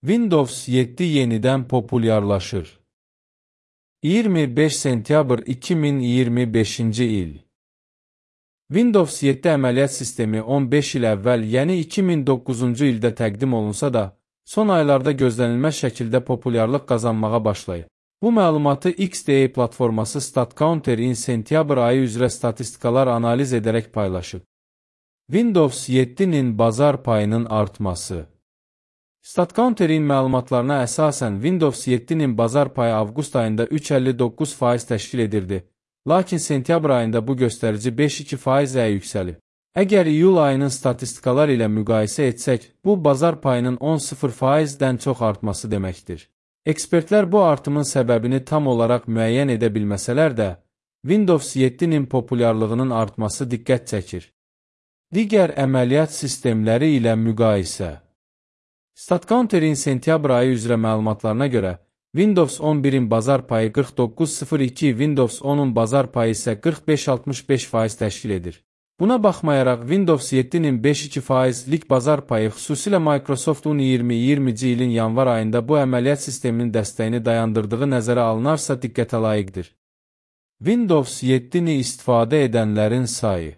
Windows 7 yenidən populyarlaşır. 25 sentyabr 2025-ci il. Windows 7 əməliyyat sistemi 15 il əvvəl, yəni 2009-cu ildə təqdim olunsa da, son aylarda gözlənilməz şəkildə populyarlıq qazanmağa başlayıb. Bu məlumatı XDA platforması StatCounter-in sentyabr ayı üzrə statistikalar analiz edərək paylaşıb. Windows 7-nin bazar payının artması. StatCounter-in məlumatlarına əsasən Windows 7-nin bazar payı avqust ayında 3,59% təşkil edirdi, lakin sentyabr ayında bu göstərici 5,2%-ə yüksəlib. Əgər iyul ayının statistikalar ilə müqayisə etsək, bu bazar payının 10,0%-dən çox artması deməkdir. Ekspertlər bu artımın səbəbini tam olaraq müəyyən edə bilməsələr də, Windows 7-nin populyarlığının artması diqqət çəkir. Digər əməliyyat sistemləri ilə müqayisə. StatCounter-in sentyabr ayı üzrə məlumatlarına görə, Windows 11-in bazar payı 49,02, Windows 10-un bazar payı isə 45,65% təşkil edir. Buna baxmayaraq, Windows 7-nin 5,2%lik bazar payı xüsusilə Microsoft-un 2020-ci ilin yanvar ayında bu əməliyyat sisteminin dəstəyini dayandırdığı nəzərə alınarsa diqqətə layiqdir. Windows 7-ni istifadə edənlərin sayı.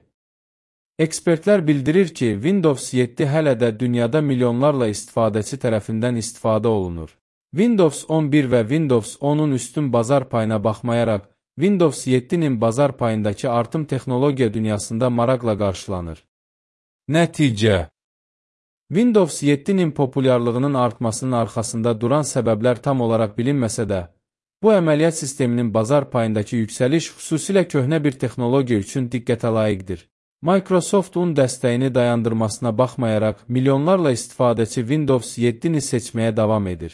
Ekspertlər bildirir ki, Windows 7 hələ də dünyada milyonlarla istifadəçi tərəfindən istifadə olunur. Windows 11 və Windows 10-un üstün bazar payına baxmayaraq, Windows 7-nin bazar payındakı artım texnologiya dünyasında maraqla qarşılanır. Nəticə. Windows 7-nin populyarlığının artmasının arxasında duran səbəblər tam olaraq bilinməsə də, bu əməliyyat sisteminin bazar payındakı yüksəliş xüsusilə köhnə bir texnologiya üçün diqqətə layiqdir. Microsoft-un dəstəyini dayandırmasına baxmayaraq, milyonlarla istifadəçi Windows 7-ni seçməyə davam edir.